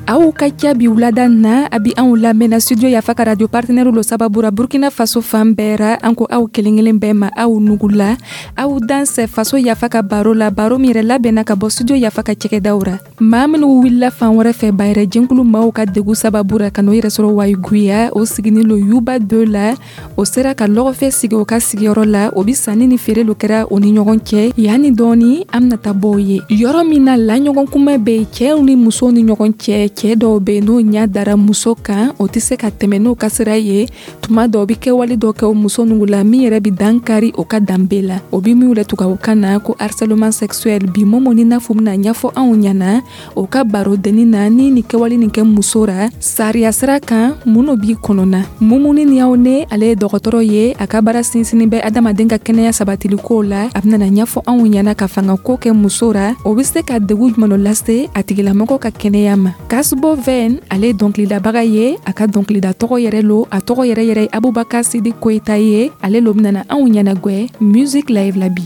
Aw ka ca bi wulada na, a bi anw lamɛnna Studio Yafa ka radio partenaire lo sababu ra Burkina Faso fan bɛɛ ra. An ko aw kelen kelen bɛɛ ma, aw nugula, aw dansɛ Faso Yafa ka baro la, baro min yɛrɛ labɛnna ka bɔ Studio Yafa ka cɛkɛdaw ra. Maa minnu wulila fan wɛrɛ fɛ, bayɛrɛ jɛnkulu maaw ka degu sababu ra, ka n'o yɛrɛ sɔrɔ Wayiguya, o siginin lo Yuba 2 la, o sera ka lɔgɔfɛ sigi o ka sigiyɔrɔ la. O bi sanni ni feere lo kɛra o ni ɲɔgɔn cɛ. Yanni dɔɔni, an bɛna taa bɔ o ye yɔrɔ min na, laɲɔgɔn kunbɛn bɛ yen cɛw ni musow ni ɲɔgɔn cɛ. Cɛɛ dɔw be n'o ɲa dara muso kan, o tɛ se ka tɛmɛ n'o ka sira ye. Tuma dɔw bi kɛwale dɔ kɛ o muso nugu la min yɛrɛ bi dankari o ka danbe la, o bi min wele tubabukan na ko harcèlement sexuel. Bi, Momo ni Nafu bɛna ɲɛfɔ anw ɲɛna o ka barodenni na ni nin kɛwale nin kɛ muso ra sariya sira kan, mun b'i kɔnɔna. Mumuni ni aw ne, ale ye dɔgɔtɔrɔ ye, a ka baara sinsinni bɛ adamaden ka kɛnɛya sabatili ko la. A bɛna ɲɛfɔ anw ɲɛna ka fanga ko kɛ muso ra, o bɛ se ka degu jumɛn lase a tigilamɔgɔ ka kɛnɛya ma. Kasbo Ven, ale ye dɔnkilidabaga ye, a ka dɔnkilida tɔgɔ yɛrɛ lo, a tɔgɔ yɛrɛ yɛrɛ ye Abubakar Sidi Koyita ye. Ale lo bɛna anw ɲɛnagwɛ music live la bi.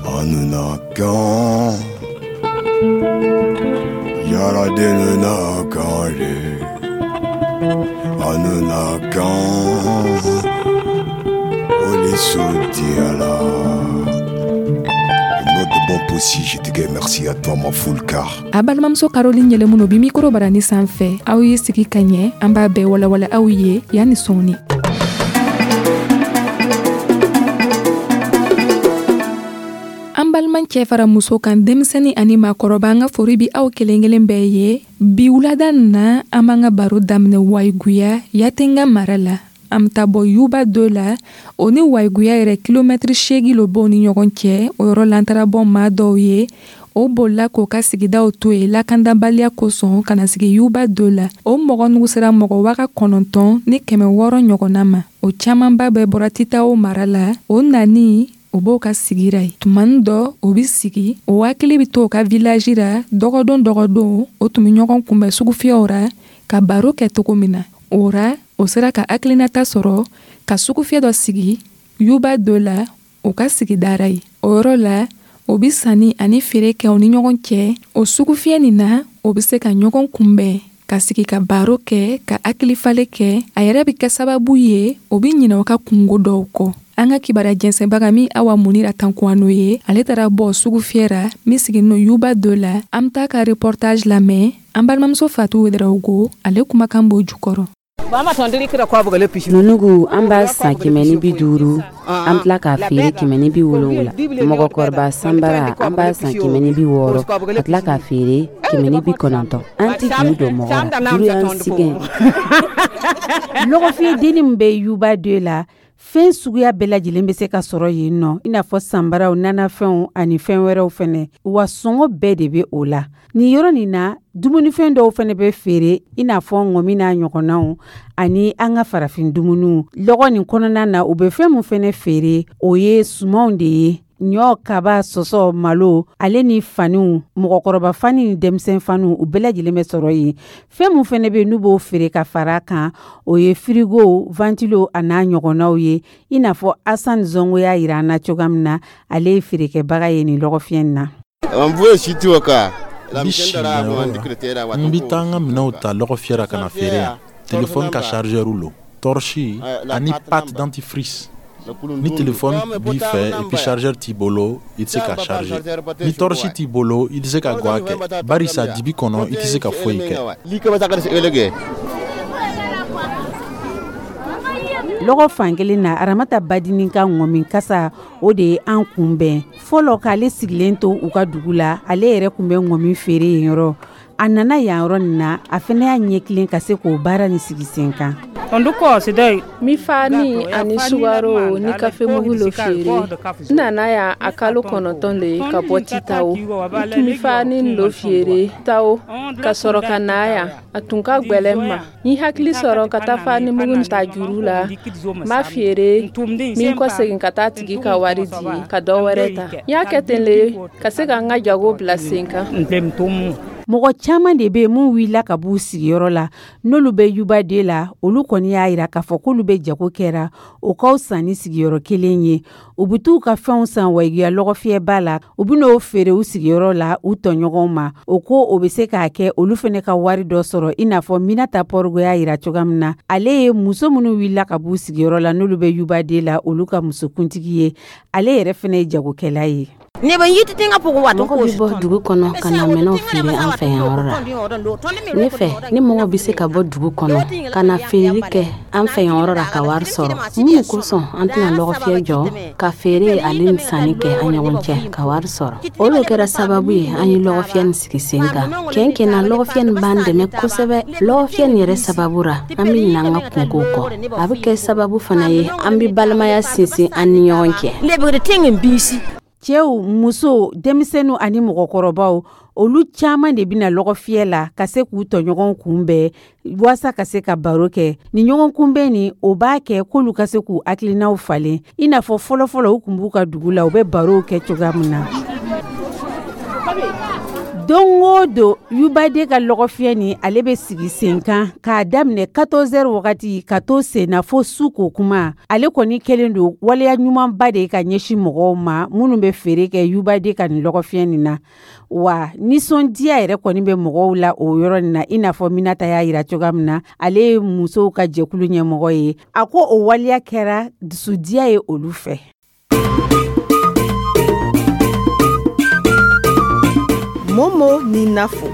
Anunakan Yaradenunakan Anunakan Olisutiala. Aussi, je te dis merci à toi, ma Fulka. A balimamuso Caroline Yɛlɛmuno bi mikoro barani sanfɛ. Aw ye sigi ka ɲɛ, an b'a bɛɛ walawala aw ye yanni sɔɔni. An baliman cɛ fara muso kan, denmisɛni ani maakɔrɔba, an ka fori bi aw kelen kelen bɛɛ ye. Bi wulada na, an b'an ka baro daminɛ Wayiguya, Yatenga mara la. An bɛ taa bɔ Yuba 2 la, o ni Wayiguya yɛrɛ kilomɛtiri 8 lo b'o ni ɲɔgɔn cɛ. O yɔrɔ la, an taara bɔ maa dɔw ye, o bolila k'o ka sigidaw to yen lakandabaliya kosɔn ka na sigi Yuba 2 la. O mɔgɔ nugu sera mɔgɔ 9600 ɲɔgɔnna ma. O camanba bɛɛ bɔra Titawo mara la. O nani o b'o ka sigira ye tumani dɔ, o bi sigi, o hakili bi to o ka village ra. Dɔgɔdon dɔgɔdon, o tun be ɲɔgɔn kunbɛn sugufiyɛw ra ka baro kɛ cogo min na. O ra, o sera ka hakilinata sɔrɔ ka sugufiyɛ dɔ sigi Yuba 2 la, o ka sigidara ye. O yɔrɔ la, o bi sanni ani feere kɛ o ni ɲɔgɔn cɛ. O sugufiyɛ nin na, o be se ka ɲɔgɔn kunbɛn ka sigi ka baro kɛ, ka hakilifale kɛ. A yɛrɛ bɛ kɛ sababu ye o bɛ ɲinɛ o ka kungo dɔw kɔ. An ka kibaruya jɛnsɛnbaga min Awa Munira Tankuwano ye, ale taara bɔ sugufiyɛ ra min siginin Yuba 2 la. An bɛ taa ka reportage lamɛn. An balimamuso Fatu Wedarawogo, ale kumakan b'o jukɔrɔ. Nunugu, an b'a san 150, an tila k'a feere 170. Mɔgɔkɔrɔba sanbara, an b'a san 160, ka tila k'a feere 190. An tɛ juru don mɔgɔ la, juru y'an sɛgɛn. Lɔgɔfiyɛdennin min bɛ Yuba 2 la, fɛn suguya bɛɛ lajɛlen bɛ se ka sɔrɔ yen nɔ, i n'a fɔ sanbaraw, nanafɛnw ani fɛn wɛrɛw fɛnɛ, wa sɔngɔ bɛɛ de bɛ o la. Nin yɔrɔ nin na, dumunifɛn dɔw fɛnɛ bɛ feere, i n'a fɔ ŋɔmi n'a ɲɔgɔnnaw ani an ka farafin dumuniw. Lɔgɔ nin kɔnɔna na, u bɛ fɛn min fɛnɛ feere, o ye sumanw de ye: ɲɔ, kaba, sɔsɔ, malo, ale ni faniw, mɔgɔkɔrɔba fani ni denmisɛn faniw, u bɛɛ lajɛlen bɛ sɔrɔ yen. Fɛn min fɛnɛ bɛ n'u b'o feere ka fara kan, o ye firigo, ventilo a n'a ɲɔgɔnnaw ye, i n'a fɔ Asan Zongo y'a yira an na cogoya min na, ale ye feerekɛbaga ye nin lɔgɔfiyɛ in na. N bɛ taa n ka minɛnw ta lɔgɔfiyɛ ra ka na feere yan. Telefɔni ka chargeur lo, torche ani pâte dentifrice. Ni telefɔni b'i fɛ et puis chargeur t'i bolo, i tɛ se ka charger. Ni torche t'i bolo, i tɛ se ka gwa kɛ, barisa dibi kɔnɔ, i tɛ se ka foyi kɛ. Lɔgɔ fankelen na, Aramata Badini ka ŋɔmi kasa, o de ye an kunbɛn. Fɔlɔ, k'ale sigilen to u ka dugu la, ale yɛrɛ tun bɛ ŋɔmi feere yen yɔrɔ. A nana yan yɔrɔ nin na, a fana y'a ɲɛ tilen ka se k'o baara nin sigi sen kan. N mi fani ani sukaro ni kafe mugu lo feere. N nana yan a kalo 9 le ka bɔ Titawo. N tun bɛ fani lo feere Tawo ka sɔrɔ ka na yan. A tun ka gwɛlɛn n ma. N hakili sɔrɔ ka taa fani mugu ta juru la, n b'a feere, min kɔsegin ka taa tigi ka wari di ka dɔ wɛrɛ ta. N y'a kɛ ten le ka se ka n ka jago bila sen kan. Mɔgɔ caman de bɛ mun wulila ka b'u sigiyɔrɔ la, n'olu bɛ Yuba 2 la, olu kɔni y'a jira k'a fɔ k'olu bɛ jago kɛra o ka fisa ni sigiyɔrɔ kelen ye. U bɛ t'u ka fɛnw san Wayiguya lɔgɔfiyɛba la, u bɛ n'o feere u sigiyɔrɔ la u tɔɲɔgɔnw ma. O ko o bɛ se k'a kɛ olu fana ka wari dɔ sɔrɔ, i n'a fɔ Minata Pɔrigo y'a jira cogoya min na. Ale ye muso minnu wulila ka b'u sigiyɔrɔ la, n'olu bɛ Yuba 2 la, olu ka musokuntigi ye. Ale yɛrɛ fana ye jagokɛla ye. Mɔgɔ bɛ bɔ dugu kɔnɔ ka na minɛnw feere an fɛ yan yɔrɔ la. Ne fɛ, ni mɔgɔ bɛ se ka bɔ dugu kɔnɔ ka na feereli kɛ an fɛ yan yɔrɔ la ka wari sɔrɔ, mun de kosɔn an tɛna lɔgɔfiyɛ jɔ ka feere ale ni sanni kɛ an ɲɔgɔn cɛ ka wari sɔrɔ? O de kɛra sababu ye an ye lɔgɔfiyɛ nin sigi sen kan. Tiɲɛ na, lɔgɔfiyɛ nin b'an dɛmɛ kosɛbɛ. Lɔgɔfiyɛ nin yɛrɛ sababu ra, an bɛ ɲinɛ an ka kunkow kɔ. A bɛ kɛ sababu fana ye an bɛ balimaya sinsin an ni ɲɔgɔn cɛ. Cɛw, musow, denmisɛnninw ani mɔgɔkɔrɔbaw, olu caman de bɛna lɔgɔfiyɛ la ka se k'u tɔɲɔgɔnw kunbɛn walasa ka se ka baro kɛ. Ni ɲɔgɔn kunbɛn nin, o b'a kɛ k'olu ka se k'u hakilinaw falen, i n'a fɔ fɔlɔfɔlɔ u tun b'u ka dugu la, u bɛ barow kɛ cogoya min na. Don o don, Yuba 2 ka lɔgɔfiyɛ nin, ale bɛ sigi sen kan k'a daminɛ 14h wagati ka to sen na fo su ko kuma. Ale kɔni kɛlen don waleya ɲumanba de ye ka ɲɛsin mɔgɔw ma minnu bɛ feere kɛ Yuba 2 ka nin lɔgɔfiyɛ nin na. Wa nisɔndiya yɛrɛ kɔni bɛ mɔgɔw la o yɔrɔ nin na, i n'a fɔ Minata y'a jira cogoya min na. Ale ye musow ka jɛkulu ɲɛmɔgɔ ye. A ko o waleya kɛra dusudiya ye olu fɛ. Momo ni Nafo.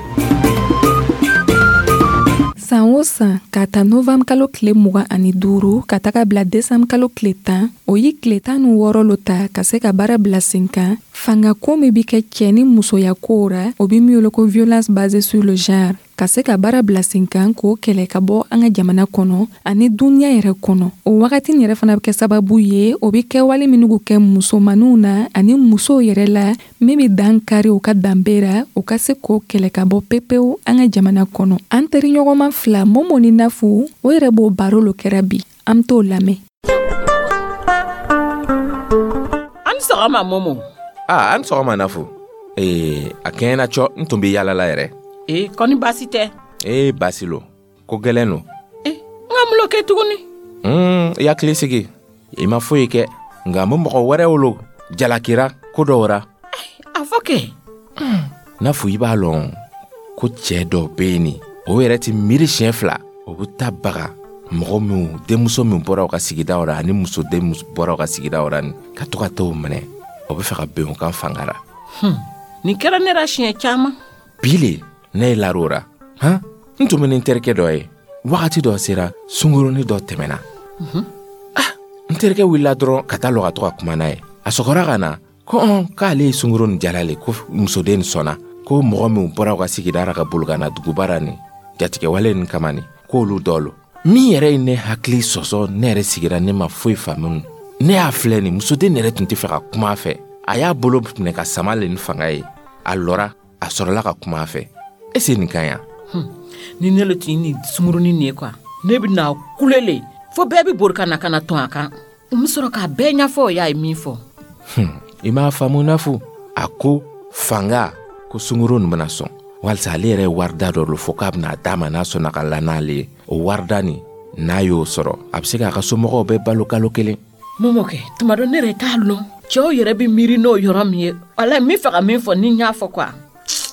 San o san, k'a ta novembre kalo tile 25 ka taga bila décembre kalo tile 10, o ye tile 16 lo ta ka se ka baara bila sen kan. Fanga ko min bɛ kɛ cɛ ni musoya kow ra, o bɛ min wele ko violence basée sur le genre, ka se ka baara bila sen kan k'o kɛlɛ ka bɔ an ka jamana kɔnɔ ani duniɲa yɛrɛ kɔnɔ. O wagati yɛrɛ fana bɛ kɛ sababu ye, o bɛ kɛwale minnu kɛ musomaninw na ani musow yɛrɛ la, min bɛ dan kari u ka danbe ra, u ka se k'o kɛlɛ ka bɔ pepewu an ka jamana kɔnɔ. An teriɲɔgɔnma fila, Momo ni Nafu, o yɛrɛ b'o baro lo kɛra bi. An t'o lamɛn. An sɔgɔma, Momo. Aa, an sɔgɔma, Nafu. Ee, a kɛɲɛna cɔ, n tun bɛ yaala la yɛrɛ. Ee, kɔni baasi tɛ? Ee, baasi lo, ko gɛlɛn lo. Ee, n ka mun lo kɛ tuguni? I hakili sigi, i ma foyi kɛ, nka n bɛ mɔgɔ wɛrɛw lo jalakira ko dɔw ra. A fɔ kɛ. Nafu, i b'a lɔn ko cɛɛ dɔ bɛ yen nin, o yɛrɛ tɛ miiri siɲɛ fila, o bɛ taa baga mɔgɔ minnu denmuso min bɔra u ka sigidaw ra ani musoden min bɔra u ka sigidaw ra nin, ka to ka t'o minɛ, o bɛ fɛ ka ben o kan fanga ra. Nin kɛra ne ra siɲɛ caman. Bi le ne ye lar'o ra. Han, n tun bɛ ni n terikɛ dɔ ye. Wagati dɔ sera, sunkurunin dɔ tɛmɛna. Ah, n terikɛ wulila dɔrɔn ka taa lɔ ka to ka kuma n'a ye. A sɔgɔra ka na ko ɔn, k'ale ye sunkurun nin jala le, ko musoden nin sɔnna, ko mɔgɔ minnu bɔra u ka sigida ra ka boli ka na duguba ra nin jatigɛwale nin kama nin, k'olu dɔ lo. Min yɛrɛ ye ne hakili sɔsɔ, ne yɛrɛ sigira, ne ma foyi faamu. Ne y'a filɛ nin, musoden yɛrɛ tun tɛ fɛ ka kuma a fɛ. A y'a bolo minɛ ka sama le ni fanga ye. A lɔra, a sɔrɔla ka kuma a fɛ. Est-ce nin ka ɲi? Ni ne le tun ye nin sunkurunin nin ye quoi, ne bɛna kule le fo bɛɛ bɛ bori ka na ka na tɔn a kan. N bɛ sɔrɔ k'a bɛɛ ɲɛfɔ o y'a ye min fɔ. I m'a faamu, Nafu. A ko fanga ko sunkurun nin bɛna sɔn walisa ale yɛrɛ ye warida dɔ lo fɔ k'a bɛna d'a ma n'a sɔnna ka la n'ale ye. O warida nin, n'a y'o sɔrɔ, a bɛ se k'a ka somɔgɔw bɛɛ balo kalo kelen. Momokɛ, tuma dɔ ne yɛrɛ t'a lɔn cɛw yɛrɛ bɛ miiri n'o yɔrɔ min ye. Wala n bɛ fɛ ka min fɔ, ni n y'a fɔ quoi,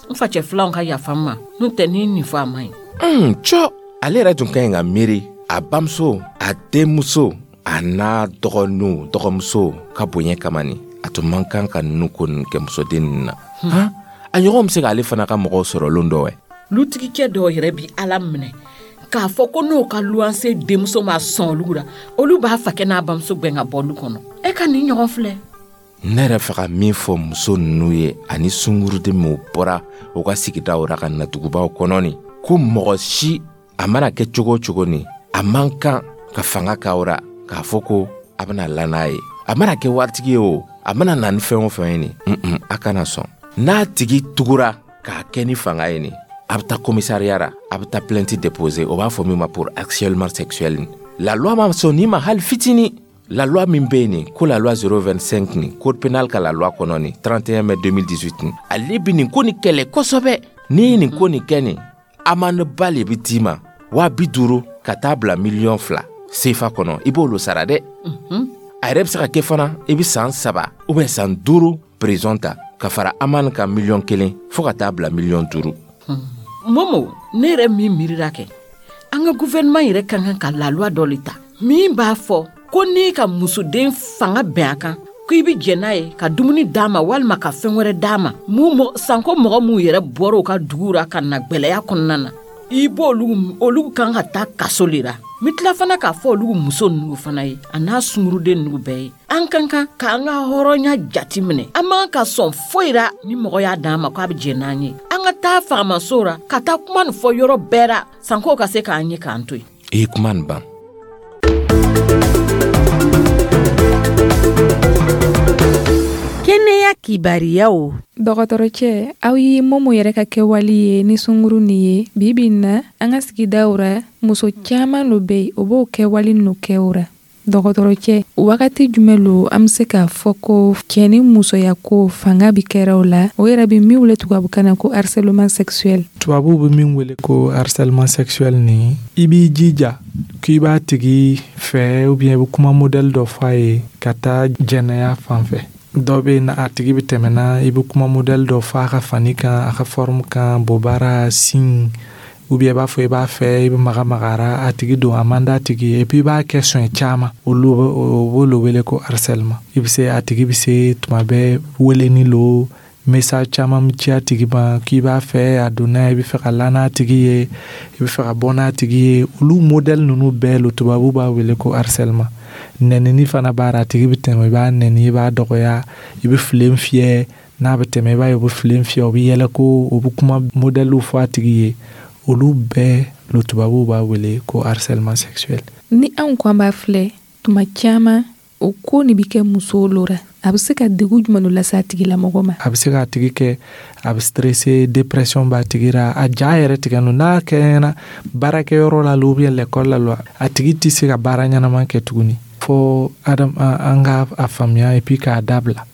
n facɛ filanw ka yafa n ma, n'o tɛ ni nin fɔ a man ɲi. Cɔ, ale yɛrɛ tun ka ɲi ka miiri a bamuso, a denmuso, a n'a dɔgɔninw, dɔgɔmuso ka bonya kama nin, a tun man kan ka ninnu ko ninnu kɛ musoden ninnu na. Han, a ɲɔgɔn bɛ se k'ale fana ka mɔgɔw sɔrɔ lon dɔ wɛ. Lutigikɛ dɔw yɛrɛ bi Ala minɛ k'a fɔ ko n'o ka luwanse denmuso ma sɔn olu la, olu b'a fakɛ n'a bamuso gɛn ka bɔ lu kɔnɔ. E ka nin ɲɔgɔn filɛ. Ne yɛrɛ fɛ ka min fɔ muso ninnu ye ani sunkuruden minnu bɔra u ka sigidaw ra ka na dugubaw kɔnɔ nin, ko mɔgɔ si a mana kɛ cogo o cogo nin, a man kan ka fanga k'aw ra k'a fɔ ko a bɛna la n'a ye. A mana kɛ waritigi ye o, a mana na ni fɛn o fɛn ye nin, a kana sɔn. N'a tigi tugura k'a kɛ ni fanga ye nin, a bɛ taa commissariat ra, a bɛ taa plainte déposer, o b'a fɔ min ma pour harcèlement sexuel. La loi ma sɔn nin ma hali fitinin. La loi min bɛ yen nin, ko la loi 025 nin, code pénal ka la loi kɔnɔ nin, 31 mai 2018 nin, ale bɛ nin ko nin kɛlɛ kosɛbɛ. N'i ye nin ko nin kɛ nin, amende ba le bɛ d'i ma, 50.000 ka taa bila 2,000,000 sefa kɔnɔ, i b'olu sara dɛ. A yɛrɛ bɛ se ka kɛ fana i bɛ san 3 ou bien san 5 prison ta ka fara amende kan 1,000,000 fo ka taa bila 5,000,000. Momo, ne yɛrɛ min miirira kɛ, an ka gouvernement yɛrɛ ka kan ka la loi dɔ le ta min b'a fɔ ko n'i ka musoden fanga bɛn a kan ko i bɛ jɛn n'a ye ka dumuni d'a ma walima ka fɛn wɛrɛ d'a ma, mun sanko mɔgɔ minnu yɛrɛ bɔra u ka dugu ra ka na gwɛlɛya kɔnɔna na, i b'olu olu kan ka taa kaso le ra. N bɛ tila fana k'a fɔ olu muso ninnu fana ye a n'a sunguruden ninnu bɛɛ ye, an ka kan k'an ka hɔrɔnya jati minɛ. An man ka sɔn foyi ra ni mɔgɔ y'a d'an ma k'a bɛ jɛn n'an ye. An ka taa fagamaso ra ka taa kuma nin fɔ yɔrɔ bɛɛ ra, sanko ka se k'an ye k'an to yen. I ye kuma nin ban. Kɛnɛya kibariyaw. Dɔgɔtɔrɔcɛ, aw ye Momo yɛrɛ ka kɛwale ye ni sunguru nin ye. Bi bi in na, an ka sigidaw ra, muso caman lo bɛ yen, o b'o kɛwale ninnu kɛ o ra. Dɔgɔtɔrɔcɛ, wagati jumɛn lo an bɛ se k'a fɔ ko cɛ ni musoya ko fanga bɛ kɛra o la, o yɛrɛ bɛ min wele tubabukan na ko harcèlement sexuel? Tubabuw bɛ min wele ko harcèlement sexuel nin, i b'i jija k'i b'a tigi fɛ ou bien i bɛ kuma modèle dɔ f'a ye ka taa jɛnɛya fan fɛ. Dɔ bɛ yen, a tigi bɛ tɛmɛ na, i bɛ kuma modèle dɔ f'a ka fani kan, a ka forme kan, bobara, sin, ou bien i b'a fɔ i b'a fɛ, i bɛ maga magara a tigi don, a man d'a tigi ye, et puis i b'a kɛ siɲɛ caman, olu o b'olu wele ko harcèlement. I bɛ se a tigi bɛ se tuma bɛɛ weleni lo, message caman bɛ ci a tigi ma k'i b'a fɛ, a donna, i bɛ fɛ ka la n'a tigi ye, i bɛ fɛ ka bɔ n'a tigi ye. Olu modèle ninnu bɛɛ lo tubabu b'a wele ko harcèlement. Nɛnini fana b'a la, a tigi bɛ tɛmɛ, i b'a nɛni, i b'a dɔgɔya, i bɛ filen fiyɛ, n'a bɛ tɛmɛ i b'a ye u bɛ filen fiyɛ, u bɛ yɛlɛ ko u bɛ kuma modèle fɔ a tigi ye. Olu bɛɛ lo tubabuw b'a wele ko harcèlement sexuel. Ni anw ko an b'a filɛ tuma caman, o ko nin bɛ kɛ musow lo ra, a bɛ se ka degun jumɛn lase a tigilamɔgɔ ma? A bɛ se k'a tigi kɛ, a bɛ stressé, dépression b'a tigi ra, a ja yɛrɛ tigɛ no. N'a kɛra baarakɛyɔrɔ la ou bien l'école la lo, a tigi tɛ se ka baara ɲɛnama kɛ tuguni. Fo adam an ka a faamuya et puis k'a dabila.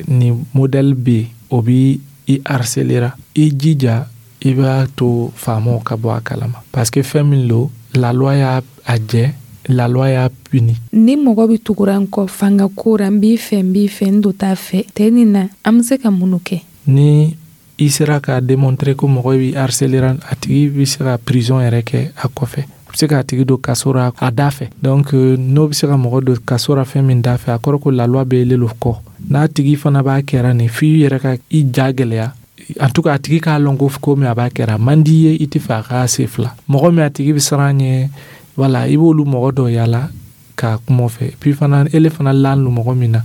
Nin modèle bɛ yen, o bɛ i harceler ra, i jija i b'a to faamaw ka bɔ a kalama, parce que fɛn min lo, la loi y'a a jɛ, la loi y'a puni. Ni mɔgɔ bɛ tugura n kɔ fanga ko ra, n b'i fɛ, n b'i fɛ, n do t'a fɛ tɛ nin na, an bɛ se ka mun kɛ? Ni i sera k'a démontrer ko mɔgɔ b'i harceler, a tigi bɛ se ka prison yɛrɛ kɛ a kɔfɛ, a bɛ se k'a tigi don kaso ra a da fɛ. Donc n'o bɛ se ka mɔgɔ don kaso ra fɛn min da fɛ, a kɔrɔ ko la loi bɛ ele lo kɔ. N'a tigi fana b'a kɛra nin, f'i yɛrɛ ka i ja gɛlɛya. En tout cas, a tigi k'a lɔn ko ko min a b'a kɛra a man di ye, i tɛ fɛ a k'a se fila. Mɔgɔ min a tigi bɛ siran ɲɛ, voilà, i b'olu mɔgɔ dɔ yala ka kuma fɛ. Puis fana, ele fana lan lo mɔgɔ min na,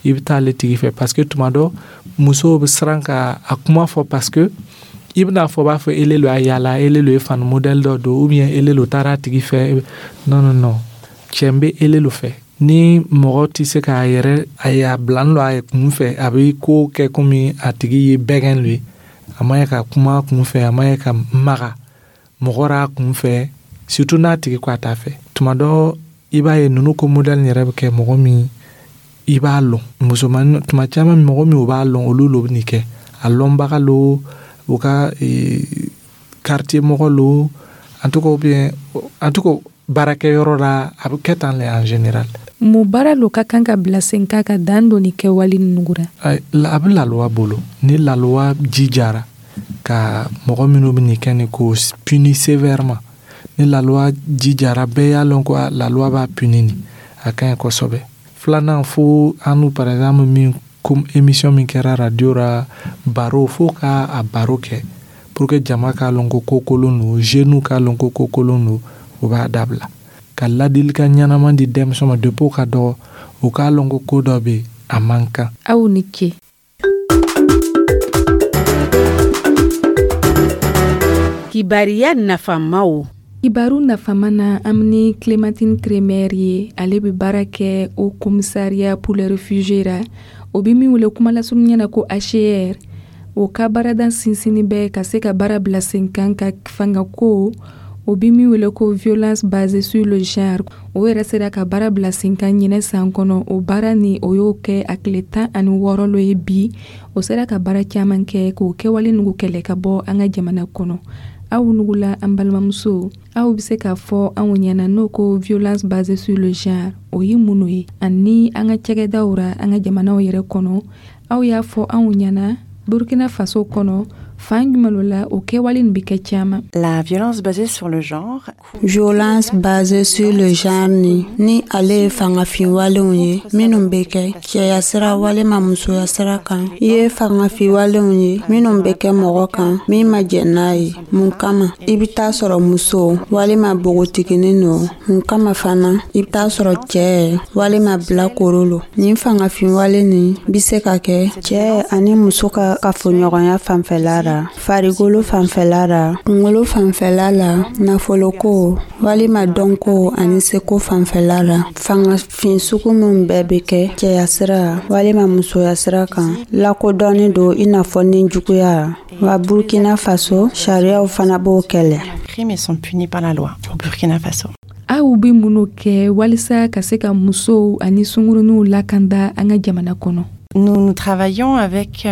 i bɛ taa ale tigi fɛ, parce que tuma dɔ musow bɛ siran ka a kuma fɔ, parce que i bɛna fɔ, b'a fɔ ele lo y'a yala, ele lo ye fani modèle dɔ don, ou bien ele lo taara a tigi fɛ. Non, non, non, cɛ bɛ ele lo fɛ. Ni mɔgɔ tɛ se k'a yɛrɛ a y'a bila n lo a kun fɛ, a bɛ ko kɛ komi a tigi ye bɛgɛn lo ye, a ma ye ka kuma a kun fɛ, a ma ye ka maga mɔgɔ ra a kun fɛ, surtout n'a tigi ko a t'a fɛ. Tuma dɔ i b'a ye ninnu ko modèle yɛrɛ bɛ kɛ mɔgɔ min i b'a lɔn, musomanin tuma caman mɔgɔ min u b'a lɔn, olu lo bɛ nin kɛ, a lɔnbaga lo, u ka quartier mɔgɔ lo, en tout cas, ou bien en tout cas baarakɛyɔrɔ la, a bɛ kɛ tan le en général. Mun baara lo ka kan ka bila sen kan ka dan don nin kɛwale ninnu ra? A bɛ la loi bolo. Ni la loi jijara ka mɔgɔ minnu bɛ nin kɛ nin ko puni sévèrement, ni la loi jijara, bɛɛ y'a lɔn ko la loi b'a puni nin, a ka ɲi kosɛbɛ. Filanan, fo an nu par exemple min comme émission min kɛra radio ra, baro, fo ka a baro kɛ pour que jama k'a lɔn ko ko kolon don, jeunes k'a lɔn ko ko kolon don, u b'a dabila. Ka ladilikan ɲɛnama di denmisɛnw ma depuis u ka dɔgɔ, u k'a lɔn ko ko dɔ bɛ yen, a man kan. Aw ni ce. Kibariya nafamaw. Kibaru nafama na, an ni Clémentine Crémer ye, ale bɛ baara kɛ au commissariat pour les réfugiés ra, o bɛ min wele kuma lasurunya na ko HCR. O ka baarada sinsinni bɛ ka se ka baara bila sen kan ka fangako O bi min wele ko violence basée sur le genre, o yɛrɛ sera ka baara bila sen kan ɲinɛ san kɔnɔ. O baara ni o y'o kɛ a tile 16 lo ye bi. O sera ka baara caman kɛ k'o kɛwale nugu kɛlɛ ka bɔ an ka jamana kɔnɔ. Aw nugula, an balimamuso, aw bɛ se k'a fɔ anw ɲɛna n'o ko violence basée sur le genre, o ye mun ye, ani an ka cɛgɛdaw ra, an ka jamanaw yɛrɛ kɔnɔ? Aw y'a fɔ anw ɲɛna, Burkina Faso kɔnɔ, fan jumɛn la o kɛwale nin bɛ kɛ caman? La violence basée sur le genre. Violence basée sur le genre ni ale ye fangafinwalenw ye minnu bɛ kɛ cɛya sira walima musoya sira kan, i ye fangafinwalenw ye minnu bɛ kɛ mɔgɔ kan min ma jɛn n'a ye. Mun kama? I bɛ taa sɔrɔ muso walima npogotiginin no. Mun kama fana? I bɛ taa sɔrɔ cɛɛ walima bilakoro lo. Nin fangafinwale nin bɛ se ka kɛ cɛɛ ani muso ka kafoɲɔgɔnya fanfɛla la, farikolo fanfɛla la, kungolo fanfɛla la, nafoloko walima dɔnko ani seko fanfɛla la. Fangafin sugu min bɛɛ bɛ kɛ cɛya sira walima musoya sira kan, lakodɔnni don i n'a fɔ ni juguya wa. Burkina Faso, sariyaw fana b'o kɛlɛ. Crimes sont punis par la loi au Burkina Faso. Aw bɛ minnu kɛ walisa ka se ka musow ani sunkuruninw lakanda an ka jamana kɔnɔ? Nous, nous travaillons avec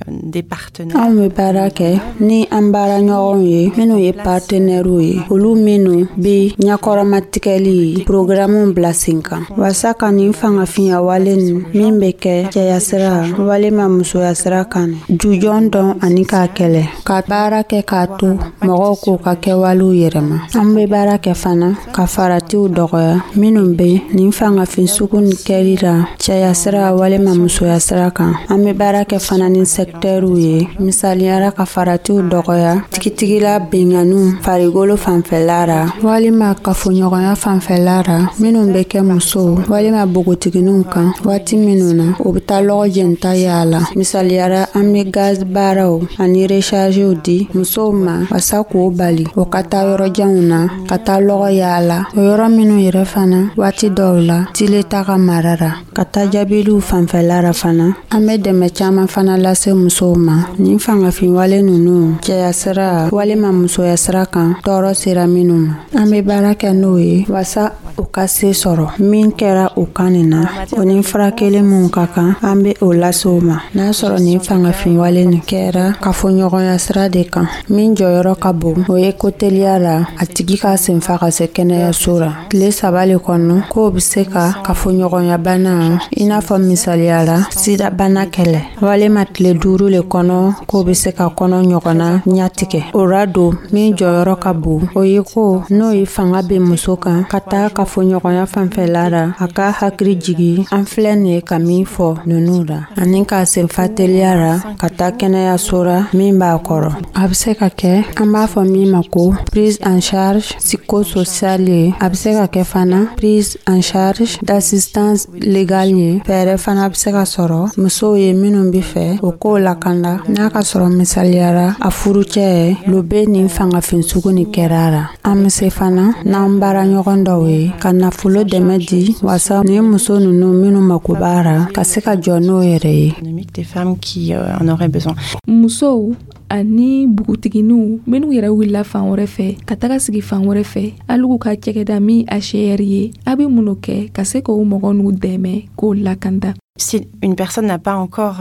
des partenaires. Anw bɛ baara kɛ ni an baaraɲɔgɔnw ye minnu ye partenɛriw ye, olu minnu bɛ ɲakɔrɔmatigɛli programme bila sen kan walasa ka nin fangafinya wale nin min bɛ kɛ cɛya sira walima musoya sira kan jujɔn dɔn ani k'a kɛlɛ, ka baara kɛ k'a to mɔgɔw k'u ka kɛwalew yɛrɛma. An bɛ baara kɛ fana ka faratiw dɔgɔya minnu bɛ nin fangafin sugu nin kɛli la cɛya sira walima musoya sira kan. An bɛ baara kɛ fana ni sɛkitɛriw ye, misaliyara ka faratiw dɔgɔya tigitigila binganiw farikolo fanfɛla ra walima kafoɲɔgɔnya fanfɛla ra minnu bɛ kɛ musow walima npogotigininw kan waati minnu na u bɛ taa lɔgɔ jɛnta yaala. Misaliyara, an bɛ gaz baaraw ani rechargew di musow ma wasa k'o bali o ka taa yɔrɔ janw na ka taa lɔgɔ yaala, o yɔrɔ minnu yɛrɛ fana waati dɔw la tile ta ka mara ra. Ka taa jaabiliw fanfɛla ra fana, an bɛ dɛmɛ caman fana lase musow ma nin fangafinwale ninnu cɛya sira walima musoya sira kan tɔɔrɔ sera minnu ma. An bɛ baara kɛ n'o ye wasa u ka se sɔrɔ min kɛra u kan nin na, o ni furakɛli minw ka kan, an bɛ o lase u ma. N'a sɔrɔ nin fangafinwale nin kɛra kafoɲɔgɔnya sira de kan, min jɔyɔrɔ ka bon, o ye ko teliya la a tigi ka senfa ka se kɛnɛyaso la tile 3 le kɔnɔ, k'o bɛ se ka kafoɲɔgɔnya bana, i n'a fɔ misaliya la sidabana kɛlɛ, walima tile 5 le kɔnɔ, k'o bɛ se ka kɔnɔ ɲɔgɔnna ɲatigɛ. O ra don min jɔyɔrɔ ka bon, o ye ko n'o ye fanga bɛ muso kan ka taa kafoɲɔgɔnya fanfɛla la, a ka hakili jigi an filɛ nin ye ka min fɔ ninnu la, ani k'a senfa teliya la ka taa kɛnɛyaso la min b'a kɔrɔ. A bɛ se ka kɛ an b'a fɔ min ma ko prise en charge psychosociale ye, a bɛ se ka kɛ fana prise en charge d'assistance légale ye. Fɛɛrɛ fana bɛ se ka sɔrɔ musow ye minnu bɛ fɛ o k'o lakanda, n'a ka sɔrɔ misaliyara a furucɛ lo bɛ nin fangafin sugu nin kɛra la. An bɛ se fana n'an baara ɲɔgɔn dɔw ye ka nafolo dɛmɛ di wasa ni muso ninnu minnu mako b'a ra ka se ka jɔ n'o yɛrɛ ye. Des femmes qui en auraient besoin. Musow ani npogotigininw minnu yɛrɛ wulila fan wɛrɛ fɛ ka taga sigi fan wɛrɛ fɛ, hali ka cɛgɛda min HCR ye, a bɛ mun kɛ ka se k'o mɔgɔ n'u dɛmɛ k'o lakanda? Si une personne n'a pas encore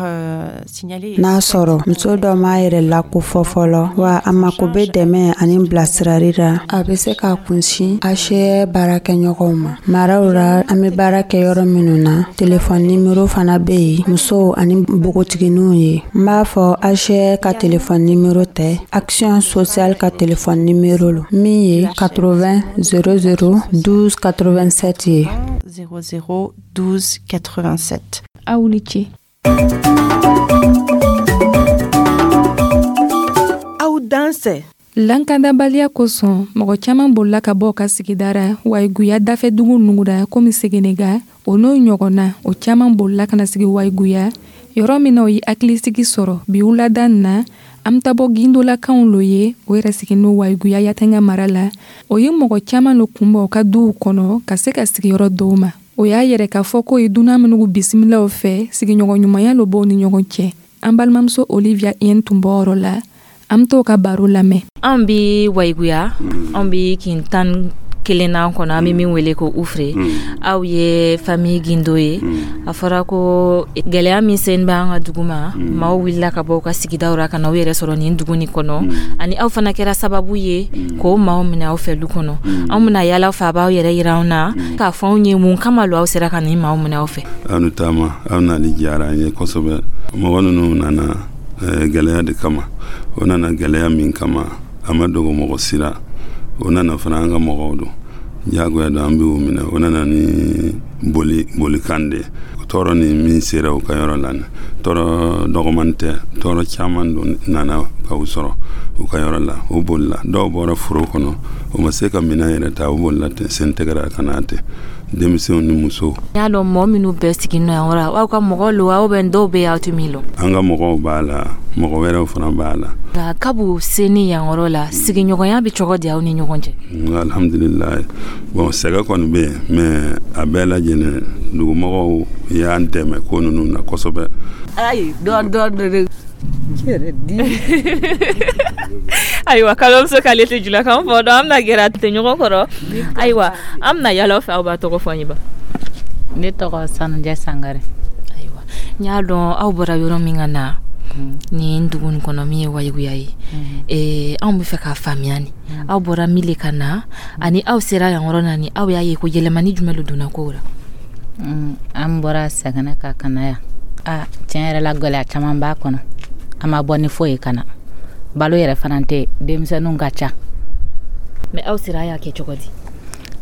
signalé. N'a sɔrɔ muso dɔ m'a yɛrɛ lakofɔ fɔlɔ wa a mako bɛ dɛmɛ ani bilasirali la, a bɛ se k'a kunsin HCR baarakɛɲɔgɔnw ma maraw la, an bɛ baara kɛ yɔrɔ minnu na. Telefɔni nimero fana bɛ yen musow ani npogotigininw ye. N b'a fɔ HCR ka telefɔni nimero tɛ, Action sociale ka telefɔni nimero lo min ye 80 00 12 87 ye. 00 12 87. Aw ni ce. Aw dansɛ. Lankandabaliya kosɔn, mɔgɔ caman bolila ka bɔ ka sigidara Wayiguya dafɛdugu nugura komi Segenega, o n'o ɲɔgɔnna. O caman bolila ka na sigi Wayiguya, yɔrɔ min na o ye hakilisigi sɔrɔ. Bi wulada na, an bɛ taa bɔ gindolakanw lo ye. O yɛrɛ sigi n'o Wayiguya Yatenga mara la. O ye mɔgɔ caman lo kunbɔ u ka duw kɔnɔ ka se ka sigiyɔrɔ dɔw ma. O y'a yɛrɛ k'a fɔ k'o ye dunan minnu bisimilaw fɛ, sigiɲɔgɔn ɲumanya lo b'o ni ɲɔgɔn cɛ. An balimamuso Olivia Yen tun bɔ yɔrɔ la. An bɛ t'o ka baro lamɛn. An bi Wayiguya, an bi kin 11nan kɔnɔ, an bɛ min wele ko Ufure. Aw ye famille Gindo ye. A fɔra ko gɛlɛya min sen bɛ an ka dugu ma, maaw wulila ka bɔ u ka sigidaw ra ka na u yɛrɛ sɔrɔ nin dugu nin kɔnɔ, ani aw fana kɛra sababu ye k'o maaw minɛ aw fɛ du kɔnɔ. Anw bɛna yala fɛ, a b'aw yɛrɛ yira anw na k'a fɔ anw ye mun kama lo aw sera ka nin maaw minɛ aw fɛ. Aw ni taama, aw nali diyara an ye kosɛbɛ. Mɔgɔ ninnu nana gɛlɛya de kama. O nana gɛlɛya min kama, a ma dogo mɔgɔ si la. O nana fana an ka mɔgɔw don, diyagoya don, an b'u minɛ. O nana ni boli bolikan de. Tɔɔrɔ ni min sera u ka yɔrɔ la, tɔɔrɔ dɔgɔman tɛ, tɔɔrɔ caman don nana ka u sɔrɔ u ka yɔrɔ la. U bolila, dɔw bɔra foro kɔnɔ, u ma se ka minɛn yɛrɛ ta, u bolila ten, sen tɛgɛra ka na ten, denmisɛnw ni musow. N y'a dɔn mɔgɔ minnu bɛɛ sigi nɔ yan yɔrɔ, aw ka mɔgɔ lo, aw bɛ dɔw bɛ aw tɛ min lɔn. An ka mɔgɔw b'a la, mɔgɔ wɛrɛw fana b'a la. Nka kabu seni yan yɔrɔ la, sigiɲɔgɔnya bɛ cogo di aw ni ɲɔgɔn cɛ? Alhamdulilayi, bon, sɛgɛ kɔni bɛ yen, mais a bɛɛ lajɛlen dugumɔgɔw y'an dɛmɛ ko ninnu na kosɛbɛ. Ayi, dɔɔni dɔɔni. Ayiwa, kalimamuso k'ale tɛ julakan fɔ dɔn, an bɛna gɛrɛ a tɛ ɲɔgɔn kɔrɔ. Ayiwa, an bɛna yala fɛ, aw b'a tɔgɔ fɔ an ye ba. Ne tɔgɔ Sanujɛ Sangare. Ayiwa, n y'a dɔn aw bɔra yɔrɔ min ka na nin dugu nin kɔnɔ min ye Wayiguya ye, anw bɛ fɛ k'a faamuya ni aw bɔra min le ka na ani aw sera yan yɔrɔ na, ni aw y'a ye ko yɛlɛmani jumɛn de donna kow la. An bɔra Sɛgɛnɛ ka na yan. A tiɲɛ yɛrɛ la, gɛlɛya caman b'a kɔnɔ. An ma bɔ ni foyi ye ka na, balo yɛrɛ fana tɛ, denmisɛnninw ka ca. Mais aw sera, a y'a kɛ cogo di?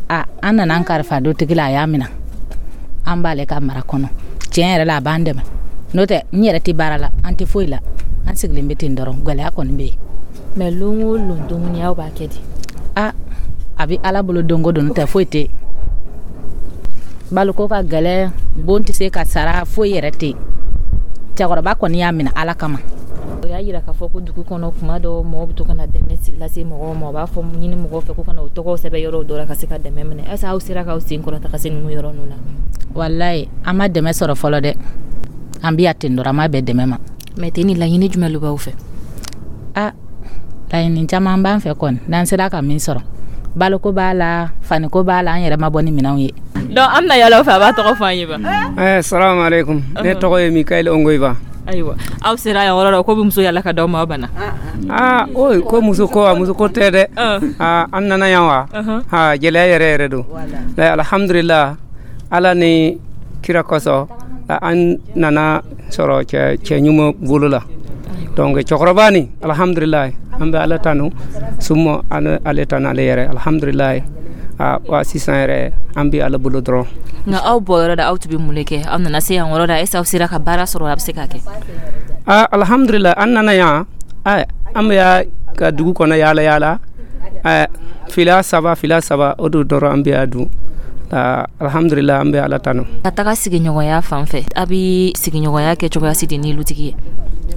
A an nana an kalifa dutigi la, a y'a minɛ, an b'ale ka mara kɔnɔ. Tiɲɛ yɛrɛ la, a b'an dɛmɛ, n'o tɛ n yɛrɛ tɛ baara la, an tɛ foyi la, an sigilen bɛ ten dɔrɔn. Gɛlɛya kɔni bɛ yen. Mais lon o lon dumuni, aw b'a kɛ di? A a bɛ Ala bolo don o don, n'o tɛ foyi tɛ yen. Baloko ka gɛlɛn, bon tɛ se ka sara, foyi yɛrɛ tɛ yen. Cɛkɔrɔba kɔni y'a minɛ Ala kama. O y'a yira k'a fɔ ko dugu kɔnɔ, kuma dɔ mɔgɔw bɛ to ka na dɛmɛ lase mɔgɔw ma, u b'a fɔ ɲini mɔgɔw fɛ ko ka na u tɔgɔw sɛbɛn yɔrɔw dɔ la ka se ka dɛmɛ minɛ. Est ce que aw sera k'aw sen kɔrɔta ka se ninnu yɔrɔ ninnu na? Walayi, an ma dɛmɛ sɔrɔ fɔlɔ dɛ. An bɛ yan ten dɔrɔn, an ma bɛn dɛmɛ ma. Mais ten ni laɲini jumɛn de b'aw fɛ? A laɲini caman b'an fɛ kɔni, n'an sera ka min sɔrɔ, baloko b'a la, faniko b'a la, an yɛrɛ ma bɔ ni minɛnw ye. Donc an bɛna yala aw fɛ, a b'a tɔgɔ fɔ an ye ba. Salamu aleykum, ne tɔgɔ ye Mikael Ongoyiba. Ayiwa, aw sera yan yɔrɔ la ko bɛ muso yala ka d'aw ma, aw banna. Aa, o ko muso ko wa, muso ko tɛ dɛ. Aa, an nana yan wa, aa, gɛlɛya yɛrɛ yɛrɛ don. Alhamdulillah, Ala ni kira kosɔn, an nana sɔrɔ cɛ cɛ ɲuman bolo la. Donc cɛkɔrɔba ni, alhamdulillah, an bɛ Ala tanu, summa ale tanu ale yɛrɛ, alhamdulillah. Wa sisan yɛrɛ an bɛ Ala bolo dɔrɔn. Nka aw bɔ yɔrɔ la, aw tun bɛ mun de kɛ? Aw nana se yan yɔrɔ la, est ce que aw sera ka baara sɔrɔ, a bɛ se ka kɛ? Aa, alhamdulillah, an nana yan, an bɛ ka dugu kɔnɔ yaala yaala, fila saba fila saba, o de dɔrɔn an bɛ a dun. Alhamdulillah, an bɛ Ala tanu. Ka taga sigiɲɔgɔnya fan fɛ, a bɛ sigiɲɔgɔnya kɛ cogoya si di ni lutigi ye?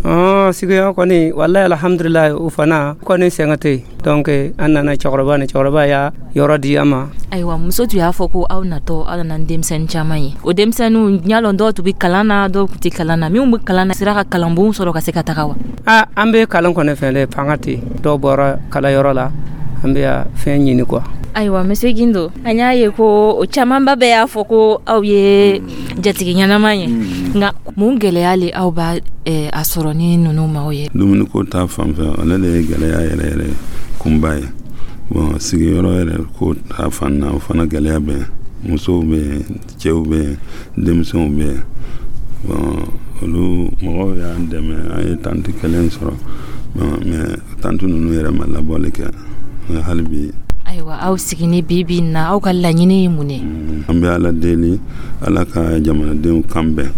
Sigiɲɔgɔn kɔni, walayi, alhamdulillah, o fana kɔni sɛgɛn tɛ yen. Donc an nana cɛkɔrɔba ni cɛkɔrɔba y'a yɔrɔ di an ma. Ayiwa, muso tun y'a fɔ ko aw natɔ, aw nana ni denmisɛnnin caman ye. O denmisɛnninw, n y'a lɔn dɔw tun bɛ kalan na, dɔw tun tɛ kalan na. Minnu bɛ kalan na, sera ka kalanbon sɔrɔ ka se ka taga wa? Aa, an bɛ kalan kɔni fɛn dɛ, fanga tɛ yen. Dɔw bɔra kalanyɔrɔ la, an bɛ fɛn ɲini quoi. Ayiwa, monsieur Gindo, an y'a ye ko o camanba bɛɛ y'a fɔ ko aw ye jatigi ɲɛnama ye, nka mun gɛlɛya le aw b'a a sɔrɔ ni ninnu maaw ye? Dumuniko ta fan fɛ, ale de ye gɛlɛya yɛrɛ yɛrɛ kunba ye. Bon, sigiyɔrɔ yɛrɛ ko ta fan na, o fana gɛlɛya bɛ yen. Musow bɛ yen, cɛw bɛ yen, denmisɛnw bɛ yen. Bon, olu mɔgɔw y'an dɛmɛ, an ye tante kelen sɔrɔ. Bon, mais tante ninnu yɛrɛ ma labɔli kɛ hali bi. Ayiwa, aw sigini bi bi na, aw ka laɲini ye mun ye? An bɛ Ala deli, Ala ka jamanadenw kan bɛn,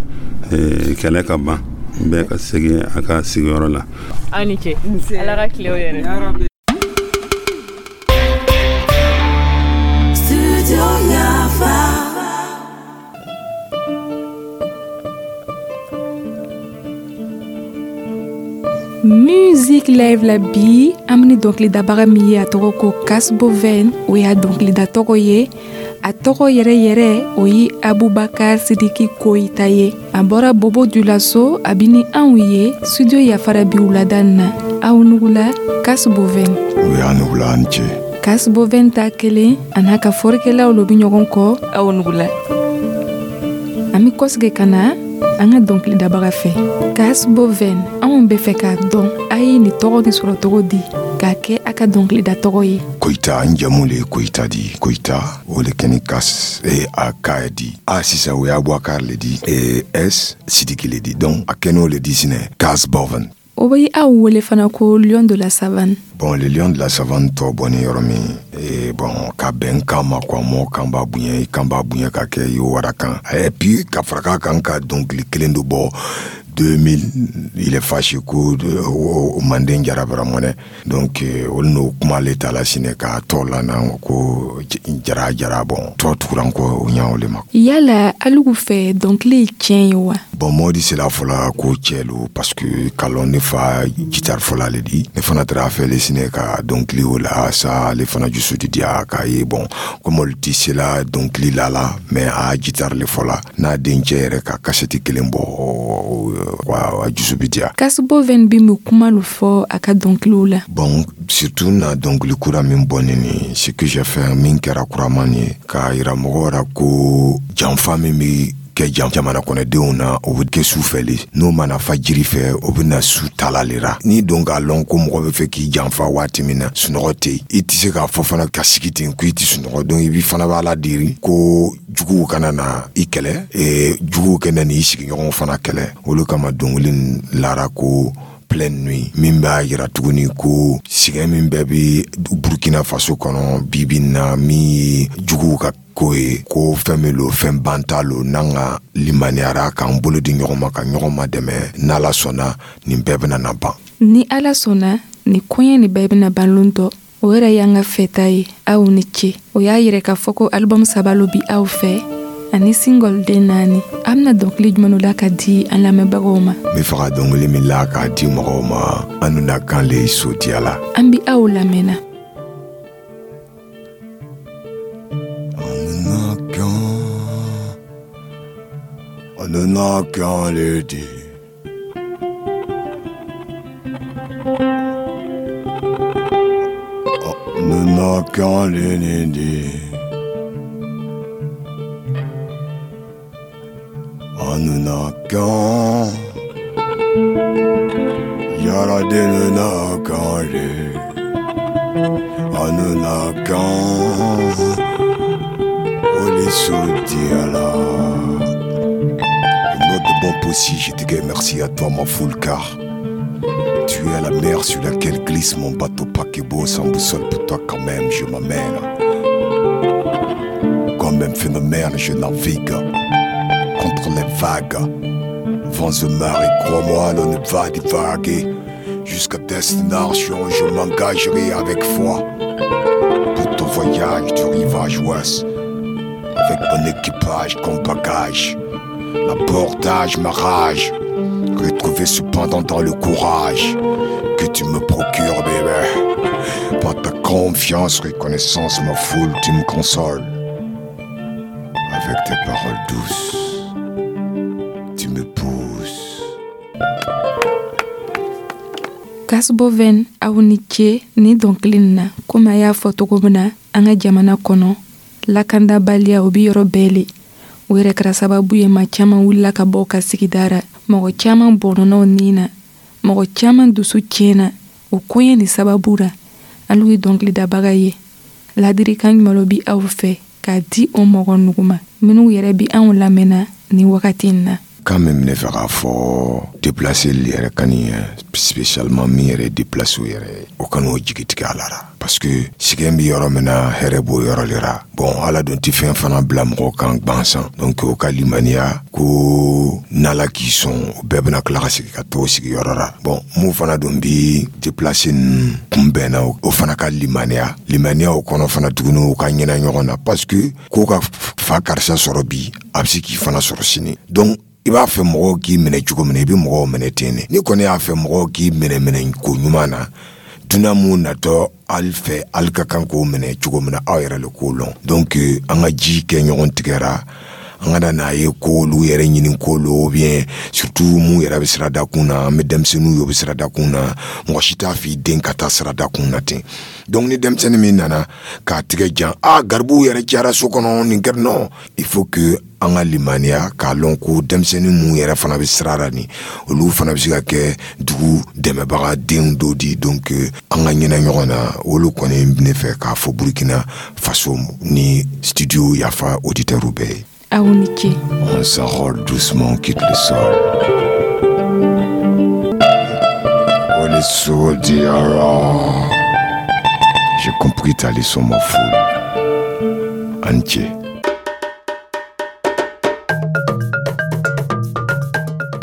kɛlɛ ka ban, bɛɛ ka segin a ka sigiyɔrɔ la. Aw ni ce, Ala ka tile yɛrɛ. Musique. Musique Live la bi, an bɛ ni dɔnkilidabaga min ye, a tɔgɔ ko Kas Boven. O y'a dɔnkilida tɔgɔ ye. A tɔgɔ yɛrɛ yɛrɛ, o ye Abubakar Sidiki Koyita ye. A bɔra Bobo Julaso. A bi ni anw ye studio Yafara bi wulada na. Aw nugula, Kas Boven. O y'a nugula, an cɛ. Kas Boven ta kelen, a n'a ka fɔrikɛlaw lo bi ɲɔgɔn kɔ. Aw nugula. An bɛ kɔsigi ka na an ka dɔnkilidabaga fɛ. Kas Boven, anw bɛ fɛ k'a dɔn, a ye nin tɔgɔ nin sɔrɔ cogo di k'a kɛ a ka dɔnkilida tɔgɔ ye? Koyita, n jamu le ye Koyita di. Koyita, o le kɛni Kas e a K di. A sisan, o ye Abubakar le di, e S, Sidiki le di. Donc a kɛn'o le di sinɛ, Kas Boven. O bɛ aw wele fana ko Lion de la Savane. Bon, le Lion de la Savane tɔ bɔni yɔrɔ min e, bon, ka bɛn kan ma quoi. Mɔgɔ kan b'a bonya, i kan b'a bonya ka kɛ i wara kan. Et puis ka fara k'a kan ka dɔnkili kelen dɔ bɔ 2000, il est fâché ko o manden jara mɔnɛ. Donc olu n'o kuma le ta la sinɛ k'a tɔ la na ko jara jara. Bon, tɔ tugura n kɔ o ɲa o le ma. Yala alugu fɛ, dɔnkili ye tiɲɛ ye wa? Bon, mɔgɔ di sela fɔla ko cɛ lo, parce que kalɔn ne fa guitare fɔla le di. Ne fana taara fɛ le sinɛ ka dɔnkili o la sa. Ale fana jusu di diya k'a ye. Bon, comme olu ti sela dɔnkili la la, mais a guitare le fɔla n'a dencɛ yɛrɛ ka kasɛti kelen bɔ wa, a jusu bi diya. Kas Boven bi mun kuma lo fɔ a ka dɔnkiliw la? Bon, surtout na dɔnkili kura min bɔ nin, ce que j'ai fait, min kɛra kuraman ye, k'a yira mɔgɔw ra ko janfa min bi kɛ jamana kɔnɔdenw na, o bɛ kɛ su fɛ le. N'o mana fa jiri fɛ, o bɛ na su tala le ra. N'i don k'a lɔn ko mɔgɔ bɛ fɛ k'i janfa waati min na, sunɔgɔ tɛ yen. I tɛ se k'a fɔ fana ka sigi ten ko i tɛ sunɔgɔ. Donc i bi fana b'a la diri ko juguw kana na i kɛlɛ, juguw kana n'i sigiɲɔgɔnw fana kɛlɛ. Olu kama dɔnkili lara ko Pleine Nuit, min b'a yira tuguni ko sɛgɛn min bɛɛ bi Burkina Faso kɔnɔ bibi na, min ye juguw ka ko ye, ko fɛn min lo, fɛn banta lo. N'an ka limaniyara k'an bolo di ɲɔgɔn ma ka ɲɔgɔn ma dɛmɛ, n'Ala sɔnna, nin bɛɛ bɛna na ban. Ni Ala sɔnna, nin koɲɛ nin bɛɛ bɛna ban lon dɔ. O yɛrɛ y'an ka fɛta ye. Aw ni ce. O y'a yɛrɛ k'a fɔ ko album saba lo bi aw fɛ ani single den naani. An bɛna dɔnkili jumɛn la ka di an lamɛnbagaw ma? N bɛ fɛ ka dɔnkili min la k'a di mɔgɔw ma, an na kan le Sodiya la. An bi aw lamɛnna. An kan, an na kan le di. An na kan le di. Anunakan Yaradenunakan le Anunakan Olisodiala. Note de bon possible, je te dis merci à toi, ma foule, car tu es la mer sur laquelle glisse mon bateau paquebot sans boussole. Pour toi quand même, je m'amène. Comme un phénomène, je navigue contre les vagues, vents et marées, crois-moi, l'on ne va divaguer. Jusqu'à destination, je m'engagerai avec foi pour ton voyage du rivage ouest, avec mon équipage comme bagage. L'abordage, ma rage, retrouver cependant dans le courage que tu me procures, bébé. Par ta confiance, reconnaissance, ma foule, tu me consoles. Avec tes paroles douces, tu me pousses. Kasboven, aw ni ce ni dɔnkili nin na. Komi a y'a fɔ cogo min na, an ka jamana kɔnɔ, lakandabaliya o bi yɔrɔ bɛɛ le. O yɛrɛ kɛra sababu ye maa caman wulila ka bɔ ka sigida ra. Mɔgɔ caman bɔnɔnɔw nin na, mɔgɔ caman dusu tiɲɛna o koɲɛ ni sababu ra. Alu ye dɔnkilidabaga ye, ladirikan jumɛn bi aw fɛ k'a di o mɔgɔ nugu ma minnu yɛrɛ bi anw lamɛnna ni wagati in na? Kan min ne fɛ k'a fɔ déplacé yɛrɛ kan ye, spécialement min yɛrɛ déplacé yɛrɛ, o kan'o jigi tigɛ a la, parce que sɛgɛn bɛ yɔrɔ min na, hɛrɛ b'o yɔrɔ le ra. Bon, Ala dun tɛ fɛn fana bila mɔgɔ kan gansan. Donc o ka limaniya ko n'Ala k'i sɔn, o bɛɛ bɛna tila ka segin ka t'o sigiyɔrɔ la. Bon, mun fana dun bi déplacé ninnu kunbɛnna, o fana ka limaniya, limaniya o kɔnɔ fana tuguni, u ka ɲɛna ɲɔgɔn na, parce que ko ka fa karisa sɔrɔ bi, a bɛ se k'i fana sɔrɔ sini. Donc I b'a fɛ mɔgɔw k'i minɛ cogo min na, i bɛ mɔgɔw minɛ ten de. N'i kɔni y'a fɛ mɔgɔw k'i minɛ minɛ ko ɲuman na, dunan mun natɔ ali fɛ, ali ka kan k'o minɛ cogo min na, aw yɛrɛ le k'o lɔn. Donc an ka ji kɛ ɲɔgɔn tigɛra, an kana n'a ye ko olu yɛrɛ ɲini ko lo, ou bien surtout mun yɛrɛ bɛ siradakun na. An bɛ denmisɛnninw ye, o bɛ siradakun na. Mɔgɔ si t'a f'i den ka taa siradakun na ten. Donc ni denmisɛnnin min nana k'a tigɛ jan, a garibuw yɛrɛ cayara so kɔnɔ, nin kɛra, non, il faut que an ka limaniya k'a lɔn ko denmisɛnnin mun yɛrɛ fana bɛ sira la nin, olu fana bɛ se ka kɛ dugu dɛmɛbaga denw dɔ di. Donc an ka ɲinɛ ɲɔgɔn na. Olu kɔni ne fɛ k'a fɔ Burkina Faso ni Studio Yafa auditeurs bɛɛ ye. Aw ni ce. On s'enrôle doucement, on quitte le sol. Oh les Diara. J'ai compris ta leçon, ma foule. Antje.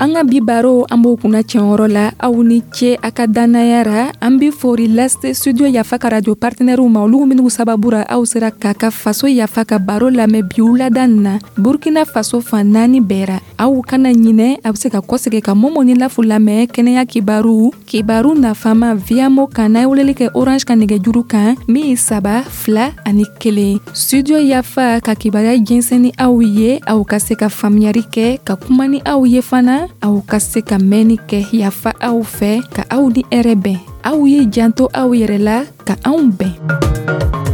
An ka bi baro, an b'o kunna cɛnyɔrɔ la. Aw ni ce a ka dannaya ra. An be fori lase Studio Yafa ka radio partenaires ma, olu minnu sababu ra aw sera k'a ka Faso Yafa ka baro lamɛn bi wulada nin na, Burkina Faso fan naani bɛɛ ra. Aw kana ɲinɛ, a be se ka kɔsegi ka Momo ni Lafu lamɛn kɛnɛya kibaru, kibaru nafama Viamo kan, n'a ye weleli kɛ Orange ka nɛgɛjuru kan min ye 3 2 ani 1. Studio Yafa ka kibaruya jɛnsɛn ni aw ye, aw ka se ka faamuyari kɛ, ka kuma ni aw ye fana, aw ka se ka mɛnni kɛ. Yafa aw fɛ, ka aw ni hɛrɛ bɛn. Aw ye janto aw yɛrɛ la, ka anw bɛn.